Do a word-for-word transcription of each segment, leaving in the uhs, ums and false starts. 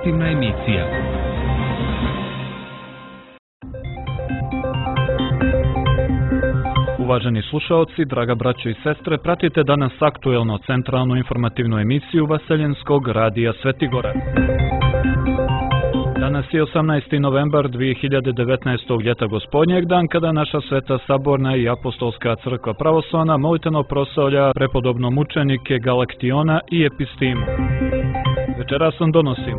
informativna emisija. Uvaženi slušaoci, draga braćo i sestre, pratite danas aktuelno centralnu informativnu emisiju Vaseljenskog radija Svetigora. Danas je osamnaesti novembar dvije hiljade devetnaestog. ljeta gospodnjeg, dan kada naša Sveta Saborna i Apostolska crkva pravoslavna molitveno proslavlja prepodobno mučenike Galaktiona i Epistimu. Večeras vam donosimo.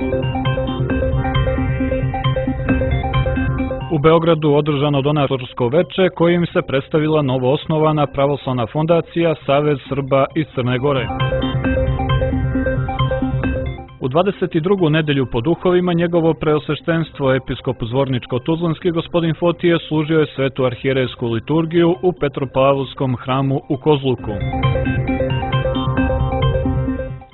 U Beogradu održano donatorsko veče kojim se predstavila novoosnovana pravoslavna fondacija Savez Srba iz Crne Gore. U dvadeset drugu nedelju po duhovima njegovo preosveštenstvo episkop Zvorničko-Tuzlanski gospodin Fotije služio je svetu arhijerejsku liturgiju u Petropavlovskom hramu u Kozluku.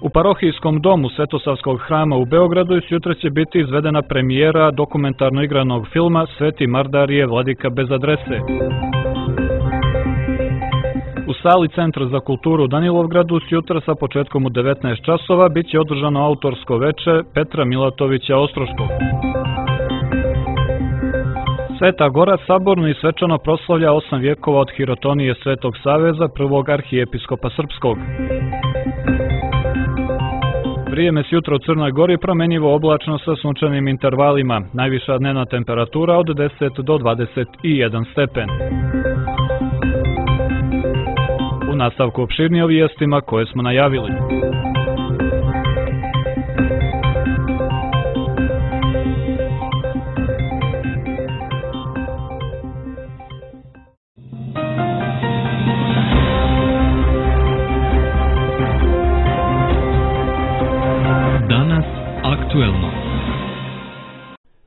U parohijskom domu Svetosavskog hrama u Beogradu sutra će biti izvedena premijera dokumentarno igranog filma Sveti Mardarije Vladika bez adrese. U sali Centra za kulturu u Danilovgradu sutra sa početkom u devetnaest časova bit će održano autorsko veče Petra Milatovića Ostroškog. Sveta Gora saborno i svečano proslavlja osam vjekova od hirotonije Svetog Saveza, prvog arhijepiskopa srpskog. Vrijeme sutra u Crnoj Gori promenjivo oblačno sa sunčanim intervalima, najviša dnevna temperatura od deset do dvadeset jedan stepen. U nastavku opširnije o vijestima koje smo najavili. Danas aktuelno.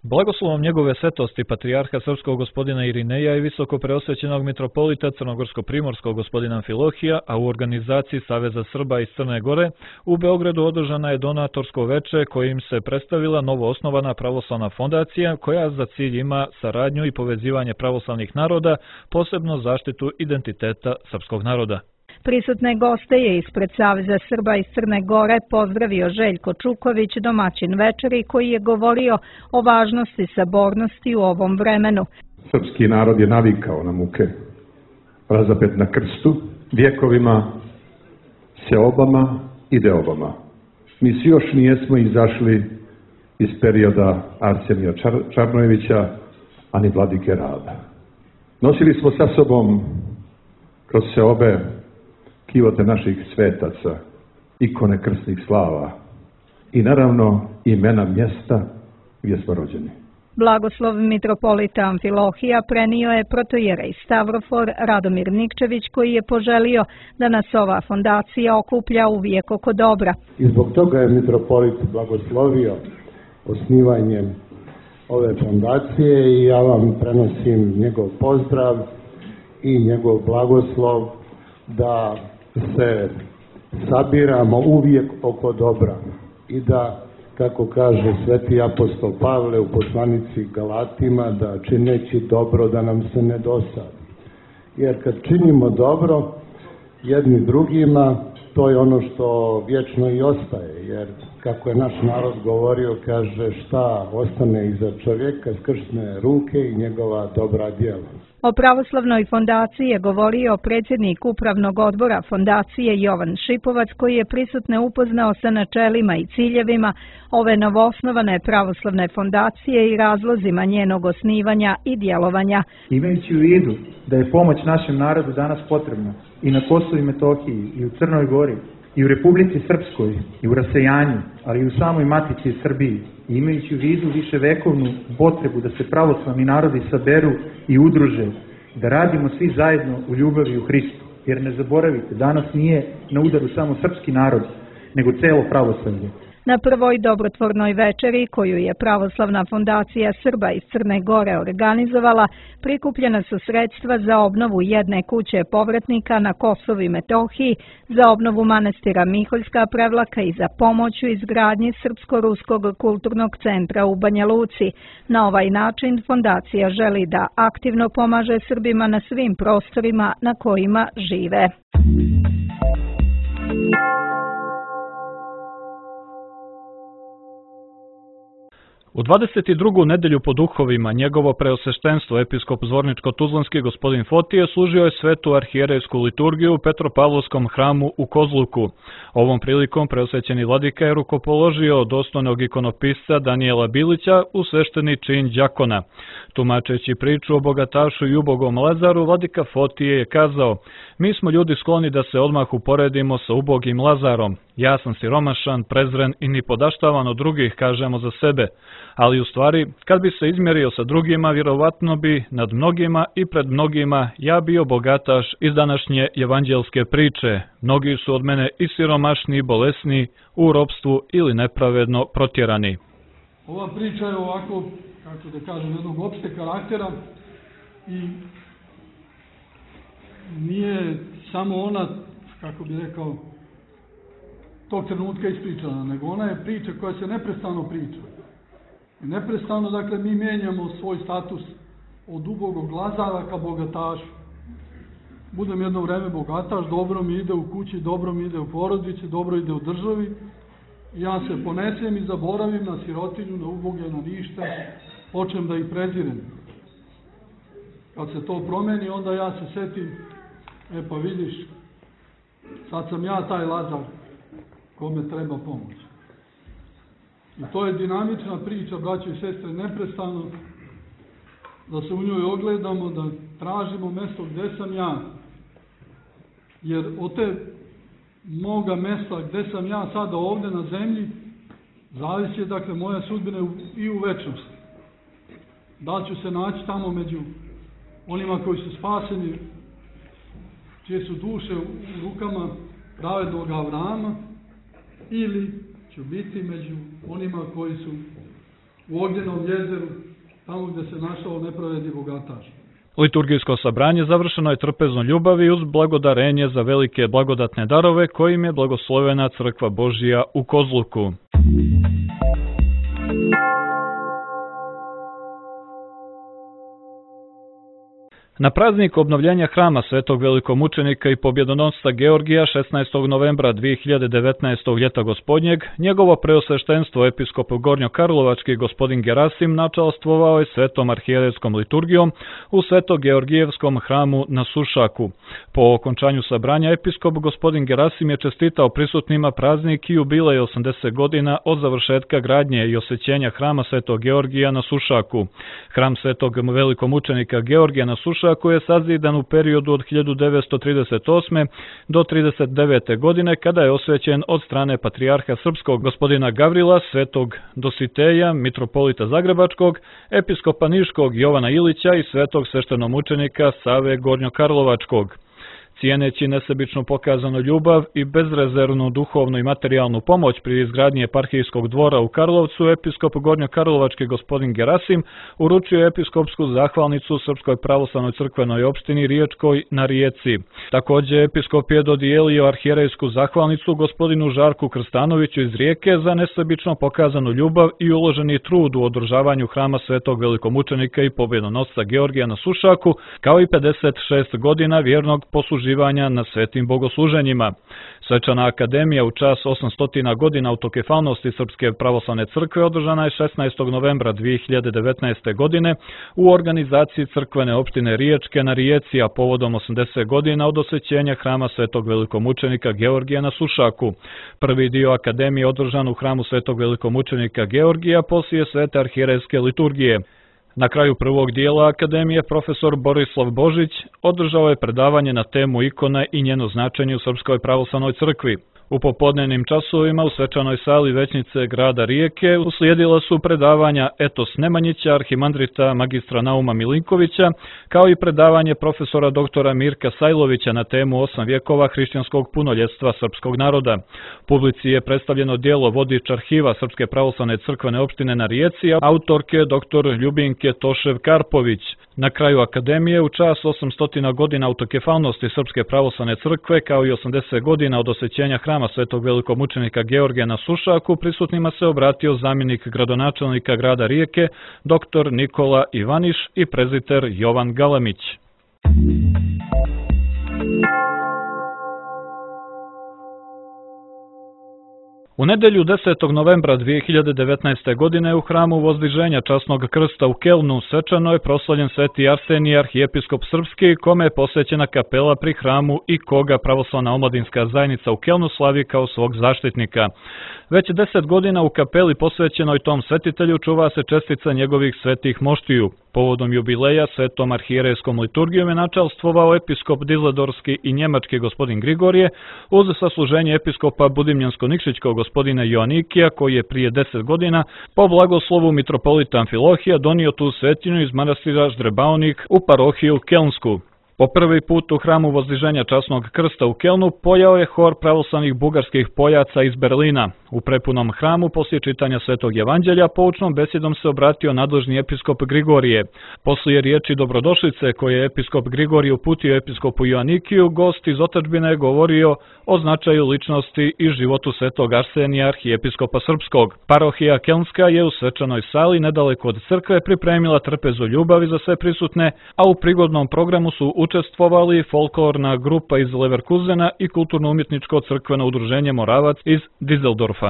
Blagoslovom njegove svetosti patrijarha srpskog gospodina Irineja i visoko preosvećenog mitropolita crnogorsko-primorskog gospodina Amfilohija, a u organizaciji Saveza Srba iz Crne Gore, u Beogradu održana je donatorsko veče kojim se predstavila novoosnovana pravoslavna fondacija koja za cilj ima saradnju i povezivanje pravoslavnih naroda, posebno zaštitu identiteta srpskog naroda. Prisutne goste je ispred Saveza Srba iz Crne Gore pozdravio Željko Čuković, domaćin večeri, koji je govorio o važnosti sabornosti u ovom vremenu. Srpski narod je navikao na muke, razapet na krstu, vjekovima, seobama i deobama. Mi svi još nijesmo izašli iz perioda Arsenija Čar Čarnojevića, ani Vladike Rada. Nosili smo sa sobom kroz seobe kivote naših svetaca, ikone krsnih slava i naravno imena mjesta gdje smo rođeni. Blagoslov mitropolita Amfilohija prenio je protojerej Stavrofor Radomir Nikčević, koji je poželio da nas ova fondacija okuplja uvijek oko dobra. I zbog toga je mitropolit blagoslovio osnivanjem ove fondacije i ja vam prenosim njegov pozdrav i njegov blagoslov da se sabiramo uvijek oko dobra i da, kako kaže sveti apostol Pavle u poslanici Galatima, da čineći dobro da nam se ne dosadi. Jer kad činimo dobro jedni drugima, to je ono što vječno i ostaje, jer kako je naš narod govorio, kaže šta ostane iza čovjeka, skrsne ruke i njegova dobra djela. O pravoslavnoj fondaciji je govorio predsjednik upravnog odbora fondacije Jovan Šipovac, koji je prisutne upoznao sa načelima i ciljevima ove novoosnovane pravoslavne fondacije i razlozima njenog osnivanja i djelovanja. Imajući u vidu da je pomoć našem narodu danas potrebna i na Kosovu i Metohiji, i u Crnoj Gori, i u Republici Srpskoj, i u rasejanju, ali i u samoj Matici Srbiji, i imajući u vidu viševekovnu potrebu da se pravoslavni narodi saberu i udruže, da radimo svi zajedno u ljubavi u Hristu. Jer ne zaboravite, danas nije na udaru samo srpski narod, nego celo pravoslavlje. Na prvoj dobrotvornoj večeri, koju je Pravoslavna fondacija Srba iz Crne Gore organizovala, prikupljena su sredstva za obnovu jedne kuće povratnika na Kosovu i Metohiji, za obnovu manastira Miholjska Prevlaka i za pomoć u izgradnji Srpsko-ruskog kulturnog centra u Banja Luci. Na ovaj način fondacija želi da aktivno pomaže Srbima na svim prostorima na kojima žive. U dvadeset drugu nedelju po duhovima njegovo preosveštenstvo episkop Zvorničko-Tuzlanski gospodin Fotije služio je svetu arhijerejsku liturgiju u Petropavlovskom hramu u Kozluku. Ovom prilikom preosvećeni vladika je rukopoložio dostojnog ikonopisca Danijela Bilića u svešteni čin đakona. Tumačeći priču o bogatašu i ubogom Lazaru, vladika Fotije je kazao: "Mi smo ljudi skloni da se odmah uporedimo sa ubogim Lazarom. Ja sam siromašan, prezren i nipodaštavan od drugih, kažemo za sebe. Ali u stvari, kad bi se izmjerio sa drugima, vjerovatno bi nad mnogima i pred mnogima ja bio bogataš iz današnje evanđelske priče. Mnogi su od mene i siromašni i bolesni, u ropstvu ili nepravedno protjerani." Ova priča je ovako, kako da kažem, jednog opšte karaktera i nije samo ona, kako bi rekao, tog trenutka ispričana, nego ona je priča koja se neprestano priča. I neprestano, dakle, mi mijenjamo svoj status od ubogog Lazara ka bogatašu. Budem jedno vreme bogataš, dobro mi ide u kući, dobro mi ide u porodici, dobro ide u državi. I ja se ponesem i zaboravim na sirotinju, na uboge, na ništa, počnem da ih prezirem. Kad se to promeni, onda ja se setim, e pa vidiš, sad sam ja taj Lazar kome treba pomoć. I to je dinamična priča, braćo i sestre, neprestano da se u njoj ogledamo, da tražimo mjesto gdje sam ja. Jer od te moga mjesta gdje sam ja sada ovdje na zemlji, zavisi, dakle, moja sudbina i u večnosti. Da li ću se naći tamo među onima koji su spaseni, čije su duše u rukama pravednog Avrama, ili ću biti među onima koji su u Ognjenom jezeru, tamo gdje se našao nepravedni bogataš. Liturgijsko sabranje završeno je trpezno ljubavi uz blagodarenje za velike blagodatne darove kojim je blagoslovena Crkva Božija u Kozluku. Na praznik obnovljenja hrama svetog velikomučenika i pobjedonosca Georgija šesnaestog novembra dvije hiljade devetnaestog ljeta gospodnjeg, njegovo preosveštenstvo episkop Gornjokarlovački gospodin Gerasim načalstvovao je svetom arhijerejskom liturgijom u Sveto-Georgijevskom hramu na Sušaku. Po okončanju sabranja episkop gospodin Gerasim je čestitao prisutnima praznik i jubilej osamdeset godina od završetka gradnje i osvećenja hrama Svetog Georgija na Sušaku. Hram svetog velikomučenika Georgija na Sušaku koji je sazidan u periodu od hiljadu devetsto trideset osme. do trideset devete. godine, kada je osvećen od strane patrijarha srpskog gospodina Gavrila, svetog Dositeja, mitropolita Zagrebačkog, episkopa Niškog Jovana Ilića i svetog sveštenomučenika Save Gornjokarlovačkog. Cijeneći nesebično pokazanu ljubav i bezrezervnu duhovnu i materijalnu pomoć pri izgradnji eparhijskog dvora u Karlovcu, episkop Gornjokarlovački gospodin Gerasim uručio je episkopsku zahvalnicu Srpskoj pravoslavnoj crkvenoj opštini Riječkoj na Rijeci. Također, episkop je dodijelio arhijerejsku zahvalnicu gospodinu Žarku Krstanoviću iz Rijeke za nesebično pokazanu ljubav i uloženi trud u održavanju hrama svetog velikomučenika i pobjedonosca Georgija na Sušaku, kao i pedeset šest godina vjernog posluživanja na svetim bogosluženjima. Svečana akademija u čast osamsto godina autokefalnosti Srpske pravoslavne crkve održana je šesnaestog novembra dvije hiljade devetnaeste. godine u organizaciji crkvene opštine Riječke na Rijeci, a povodom osamdeset godina od osvećenja hrama svetog velikomučenika Georgija na Sušaku. Prvi dio akademije održan u hramu svetog velikomučenika Georgija poslije svete arhijerejske liturgije. Na kraju prvog dijela akademije profesor Borislav Božić održao je predavanje na temu ikona i njeno značenje u Srpskoj pravoslavnoj crkvi. U popodnevnim časovima u svečanoj sali većnice grada Rijeke uslijedila su predavanja Etos Nemanjića, arhimandrita magistra Nauma Milinkovića, kao i predavanje profesora doktora Mirka Sajlovića na temu osam vjekova hrišćanskog punoljetstva srpskog naroda. Publici je predstavljeno djelo Vodič arhiva Srpske pravoslavne crkvene opštine na Rijeci, autorke doktor Ljubinke Tošev-Karpović. Na kraju akademije u čast osamsto godina autokefalnosti Srpske pravoslavne crkve, kao i osamdeset godina od osvećenja hrama svetog velikomučenika Georgija na Sušaku, prisutnima se obratio zamjenik gradonačelnika grada Rijeke, doktor Nikola Ivaniš i preziter Jovan Galamić. U nedelju desetog novembra dvije hiljade devetnaeste. godine u hramu Vozdiženja Časnog krsta u Kelnu svečano je proslavljen Sveti Arsenije, arhijepiskop srpski, kome je posvećena kapela pri hramu i koga pravoslavna omladinska zajednica u Kelnu slavi kao svog zaštitnika. Već deset godina u kapeli posvećenoj tom svetitelju čuva se čestica njegovih svetih moštiju. Povodom jubileja svetom arhijerejskom liturgijom je načalstvovao episkop Dizledorski i njemački gospodin Grigorije uz sasluženje episkopa Budimljansko-Nikšićkog gospodina Joanikija, koji je prije deset godina po blagoslovu mitropolita Amfilohija donio tu svetinju iz manastira Ždrebaonik u parohiju Kelnsku. Po prvi put u hramu Vozdiženja Časnog krsta u Kelnu pojao je hor pravoslavnih bugarskih pojaca iz Berlina. U prepunom hramu poslije čitanja Svetog evanđelja poučnom besedom se obratio nadležni episkop Grigorije. Poslije riječi dobrodošlice koje je episkop Grigorije uputio episkopu Joanikiju, gost iz otadžbine je govorio o značaju ličnosti i životu Svetog Arsenija, arhijepiskopa srpskog. Parohija Kelnska je u svečanoj sali nedaleko od crkve pripremila trpezu ljubavi za sve prisutne, a u prigodnom programu su učestvovali folklorna grupa iz Leverkusena i kulturno-umjetničko crkveno udruženje Moravac iz Dizeldorfa.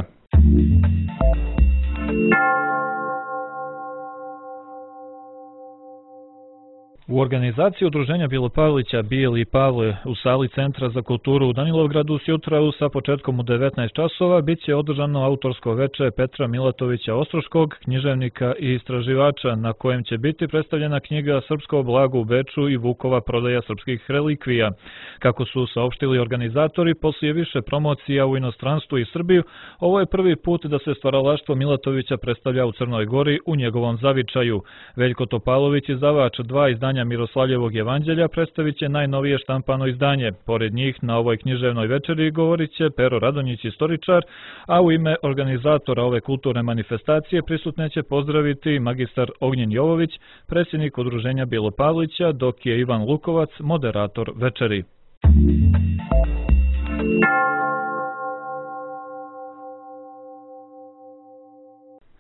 U organizaciji udruženja Bilopavlića Bijeli i Pavle u sali Centra za kulturu u Danilovgradu sjutra sa početkom u devetnaest časova bit će održano autorsko veče Petra Milatovića Ostroškog, književnika i istraživača, na kojem će biti predstavljena knjiga Srpsko blago u Beču i Vukova prodaja srpskih relikvija. Kako su saopštili organizatori, poslije više promocija u inostranstvu i Srbiju, ovo je prvi put da se stvaralaštvo Milatovića predstavlja u Crnoj Gori u njegovom zavičaju. Veljko Topalović, izdavač dva izdanja Miroslavljevog evanđelja, predstavit će najnovije štampano izdanje. Pored njih na ovoj književnoj večeri govorit će Pero Radonjić, istoričar, a u ime organizatora ove kulturne manifestacije prisutne će pozdraviti magistar Ognjen Jovović, predsjednik udruženja Bilopavlića, dok je Ivan Lukovac moderator večeri.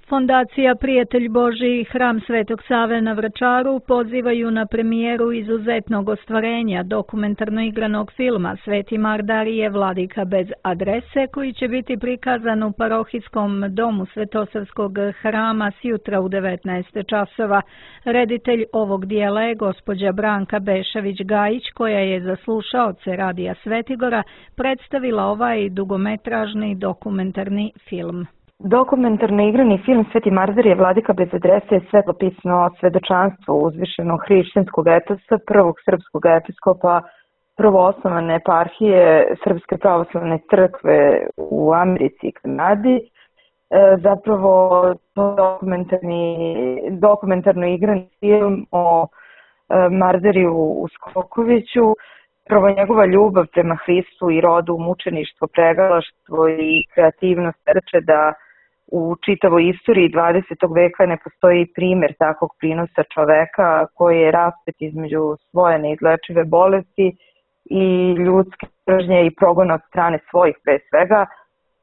Fondacija Prijatelj Božji i Hram Svetog Save na Vračaru pozivaju na premijeru izuzetnog ostvarenja dokumentarno igranog filma Sveti Mardarije Vladika bez adrese, koji će biti prikazan u parohijskom domu Svetosavskog hrama sjutra u devetnaest časova. Reditelj ovog dijela je gospođa Branka Bešavić-Gajić, koja je za slušaoce Radija Svetigora predstavila ovaj dugometražni dokumentarni film. Dokumentarno igrani film Sveti Mardarije Vladika bez adrese je svetopisno svedočanstvo uzvišenog hrišćanskog etosa, prvog srpskog episkopa prvoosnovane eparhije Srpske pravoslavne crkve u Americi i Kanadi. E, zapravo to dokumentarni, dokumentarno igrani film o e, Mardariju Uskokoviću, prvo njegova ljubav prema Hristu i rodu, mučeništvo, pregalaštvo i kreativnost reče da u čitavoj istoriji dvadesetog veka ne postoji primjer takvog prinosa čoveka koji je raspet između svoje neizlečive bolesti i ljudske mržnje i progona od strane svojih pre svega.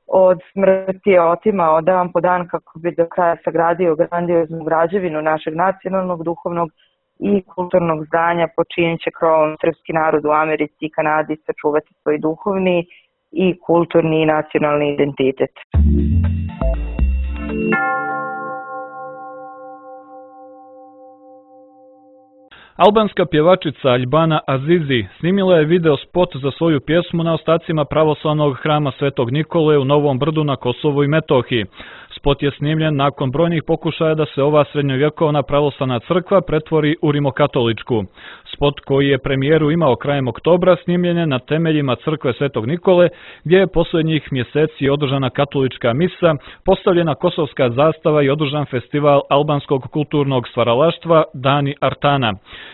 Od smrti je otimao dan po dan kako bi do kraja sagradio grandioznu građevinu našeg nacionalnog, duhovnog i kulturnog zdanja, po čijim će krovom srpski narod u Americi i Kanadi sačuvati svoj duhovni i kulturni i nacionalni identitet. Albanska pjevačica Albana Azizi snimila je video spot za svoju pjesmu na ostacima pravoslavnog hrama Svetog Nikole u Novom Brdu na Kosovu i Metohiji. Spot je snimljen nakon brojnih pokušaja da se ova srednjovjekovna pravoslavna crkva pretvori u rimokatoličku. Spot koji je premijeru imao krajem oktobra snimljen je na temeljima crkve Svetog Nikole, gdje je posljednjih mjeseci održana katolička misa, postavljena kosovska zastava i održan festival albanskog kulturnog stvaralaštva Dani Artana.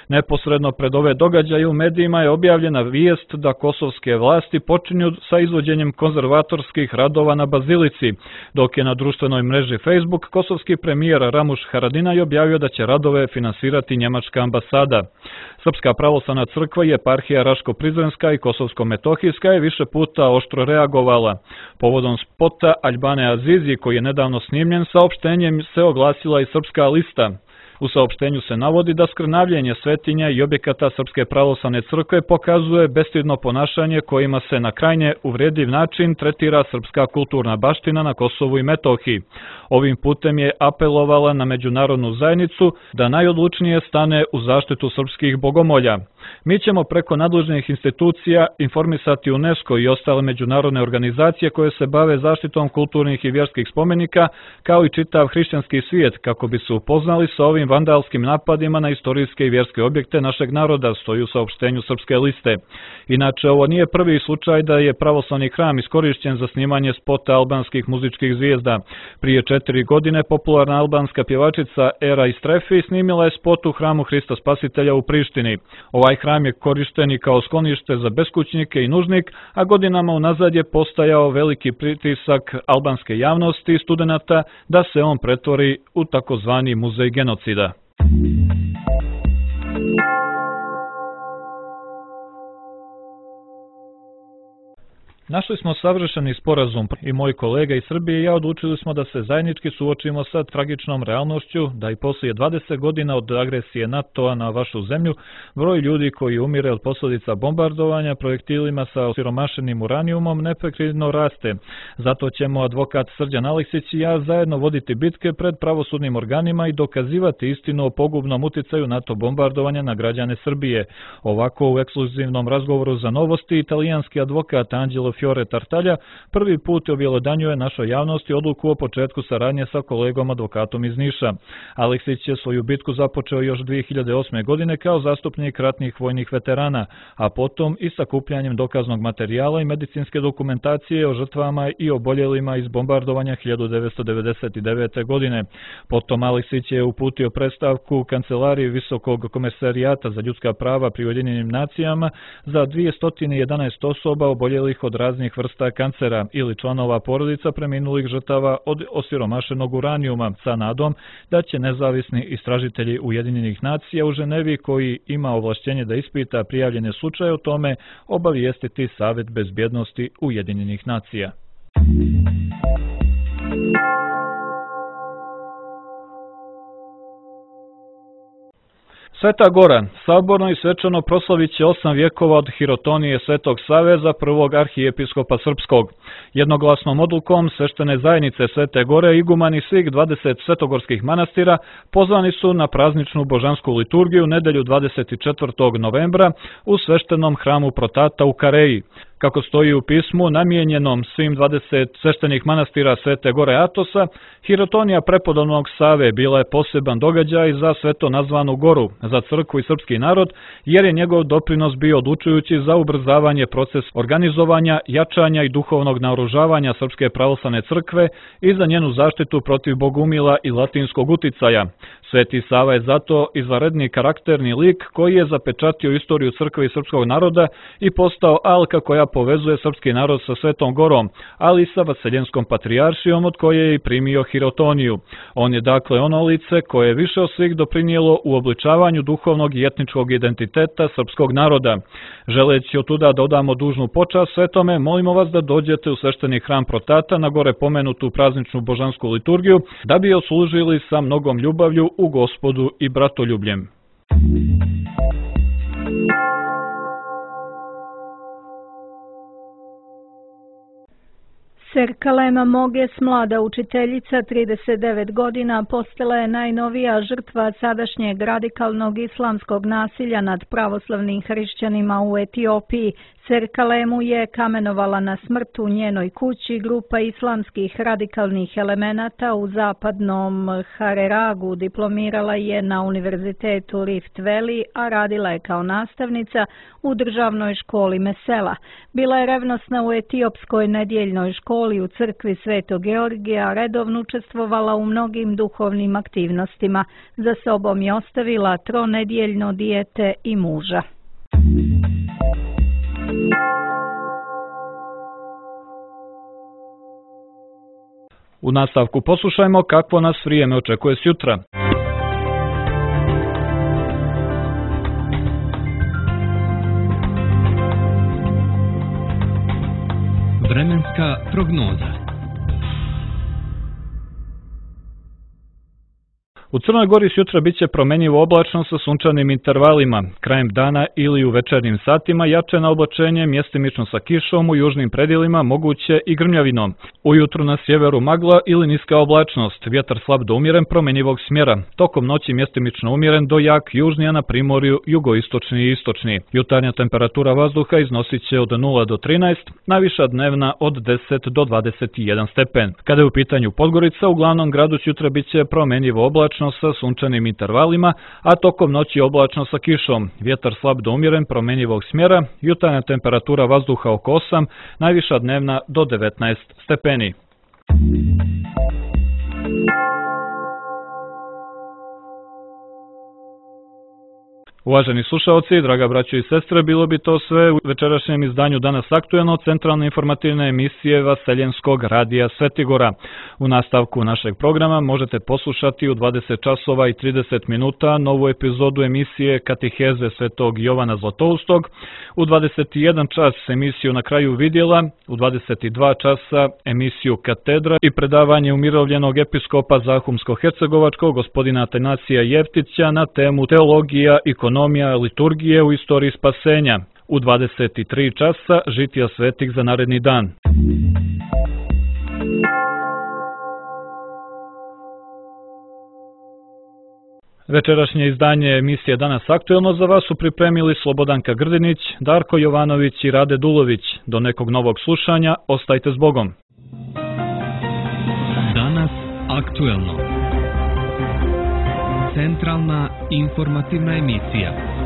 Neposredno pred ove događaje u medijima je objavljena vijest da kosovske vlasti počinju sa izvođenjem konzervatorskih radova na bazilici, dok je na društvenoj mreži Facebook kosovski premijer Ramuš Haradinaj objavio da će radove finansirati njemačka ambasada. Srpska pravoslavna crkva i eparhija Raško-Prizrenska i Kosovsko-Metohijska je više puta oštro reagovala. Povodom spota Albane Azizi, koji je nedavno snimljen, saopštenjem se oglasila i Srpska lista. U saopštenju se navodi da skrnavljenje svetinja i objekata Srpske pravoslavne crkve pokazuje bestidno ponašanje kojima se na krajnje uvredljiv način tretira srpska kulturna baština na Kosovu i Metohiji. Ovim putem je apelovala na međunarodnu zajednicu da najodlučnije stane u zaštitu srpskih bogomolja. Mi ćemo preko nadležnih institucija informisati UNESCO i ostale međunarodne organizacije koje se bave zaštitom kulturnih i vjerskih spomenika, kao i čitav hrišćanski svijet, kako bi se upoznali sa ovim vandalskim napadima na istorijske i vjerske objekte našeg naroda, stoji u saopštenju Srpske liste. Inače, ovo nije prvi slučaj da je pravoslavni hram iskorišćen za snimanje spota albanskih muzičkih zvijezda. Prije četiri godine popularna albanska pjevačica Era Istrefi snimila je spot u hramu Hrista Spasitelja u Prištini. Ovaj hram je korišten i kao sklonište za beskućnike i nužnik, a godinama unazad je postajao veliki pritisak albanske javnosti i studenata da se on pretvori u takozvani muzej genocida. Našli smo savršeni sporazum i moji kolega iz Srbije i ja odlučili smo da se zajednički suočimo sa tragičnom realnošću da i poslije dvadeset godina od agresije NATO-a na vašu zemlju broj ljudi koji umire od posljedica bombardovanja projektilima sa osiromašenim uranijumom neprekidno raste. Zato ćemo advokat Srđan Aleksić i ja zajedno voditi bitke pred pravosudnim organima i dokazivati istinu o pogubnom uticaju NATO bombardovanja na građane Srbije. Ovako u ekskluzivnom razgovoru za Novosti italijanski advokat Anđelo Fiore Tartaglia prvi put objelodanjuje našoj javnosti odluku o početku saradnje sa kolegom advokatom iz Niša. Aleksić je svoju bitku započeo još dvije hiljade osme. godine kao zastupnik ratnih vojnih veterana, a potom i sakupljanjem dokaznog materijala i medicinske dokumentacije o žrtvama i oboljelima iz bombardovanja hiljadu devetsto devedeset devete. godine. Potom Aleksić je uputio predstavku Kancelariji Visokog komesarijata za ljudska prava pri Ujedinjenim nacijama za dvjesto jedanaest osoba oboljelih od raznih vrsta kancera ili članova porodica preminulih žrtava od osiromašenog uranijuma sa nadom da će nezavisni istražitelji Ujedinjenih nacija u Ženevi, koji ima ovlašćenje da ispita prijavljene slučaje o tome, obavijestiti Savet bezbjednosti Ujedinjenih nacija. Sveta Gora saborno i svečano proslavit će osam vjekova od hirotonije Svetog Save za prvog arhijepiskopa srpskog. Jednoglasnom odlukom sveštene zajednice Svete Gore igumani svih dvadeset svetogorskih manastira pozvani su na prazničnu božansku liturgiju nedelju dvadeset četvrtog novembra u sveštenom hramu Protata u Kareji. Kako stoji u pismu namijenjenom svim dvadeset sveštenih manastira Svete Gore Atosa, hirotonija prepodobnog Save bila je poseban događaj za sveto nazvanu goru, za crkvu i srpski narod, jer je njegov doprinos bio odlučujući za ubrzavanje procesa organizovanja, jačanja i duhovnog naoružavanja Srpske pravoslavne crkve i za njenu zaštitu protiv bogumila i latinskog uticaja. Sveti Sava je zato izvanredni karakterni lik koji je zapečatio istoriju crkve i srpskog naroda i postao alka koja povezuje srpski narod sa Svetom Gorom, ali i sa Vaseljenskom patrijaršijom od koje je i primio hirotoniju. On je dakle ono lice koje je više od svih doprinijelo u obličavanju duhovnog i etničkog identiteta srpskog naroda. Želeći od tuda da odamo dužnu počast svetome, molimo vas da dođete u svešteni hram Protata na gore pomenutu prazničnu božansku liturgiju, da bi oslužili sa mnogom ljubavlju u Gospodu i bratoljubljem. Serkalema Moges, mlada učiteljica, trideset devet godina, postala je najnovija žrtva sadašnjeg radikalnog islamskog nasilja nad pravoslavnim hrišćanima u Etiopiji. Serkalemu je kamenovala na smrt u njenoj kući grupa islamskih radikalnih elemenata u zapadnom Hareragu. Diplomirala je na univerzitetu Rift Valley, a radila je kao nastavnica u državnoj školi Mesela. Bila je revnosna u etiopskoj nedjeljnoj školi u crkvi Svetog Georgija, redovno učestvovala u mnogim duhovnim aktivnostima. Za sobom je ostavila tronedjeljno dijete i muža. U nastavku poslušajmo kakvo nas vrijeme očekuje sjutra. Vremenska prognoza. U Crnoj Gori sutra biće promjenjivo oblačno sa sunčanim intervalima. Krajem dana ili u večernjim satima jačeno oblačenje, mjestimično sa kišom, u južnim predjelima moguće i grmljavinom. Ujutru na sjeveru magla ili niska oblačnost, vjetar slab do umjeren promjenjivog smjera. Tokom noći mjestimično umjeren do jak južni, a na primorju jugoistočni i istočni. Jutarnja temperatura vazduha iznosit će od nula do trinaest, najviša dnevna od deset do dvadeset jedan stepen. Kada je u pitanju Podgorica, u glavnom gradu sutra biće promjenjivo oblačno sa sunčanim intervalima, a tokom noći oblačno sa kišom. Vjetar slab do umjeren promjenjivog smjera, jutarnja temperatura vazduha oko osam, najviša dnevna do devetnaest stepeni. Uvaženi slušalci, draga braćo i sestre, bilo bi to sve u večerašnjem izdanju Danas aktuelno centralne informativne emisije Vaseljenskog radija Svetigora. U nastavku našeg programa možete poslušati u dvadeset časova i trideset minuta novu epizodu emisije Kateheze Svetog Jovana Zlatoustog, u dvadeset jedan čas emisiju Na kraju vidjela, u dvadeset dva časa emisiju Katedra i predavanje umirovljenog episkopa Zahumsko-Hercegovačkog gospodina Atanasija Jeftića na temu teologija i ekonomija liturgije u istoriji spasenja. U dvadeset tri časa žitija svetih za naredni dan. Večerašnje izdanje emisije Danas aktuelno za vas su pripremili Slobodanka Grdinić, Darko Jovanović i Rade Dulović. Do nekog novog slušanja, ostajte s Bogom. Danas aktuelno. Centralna informativna emisija.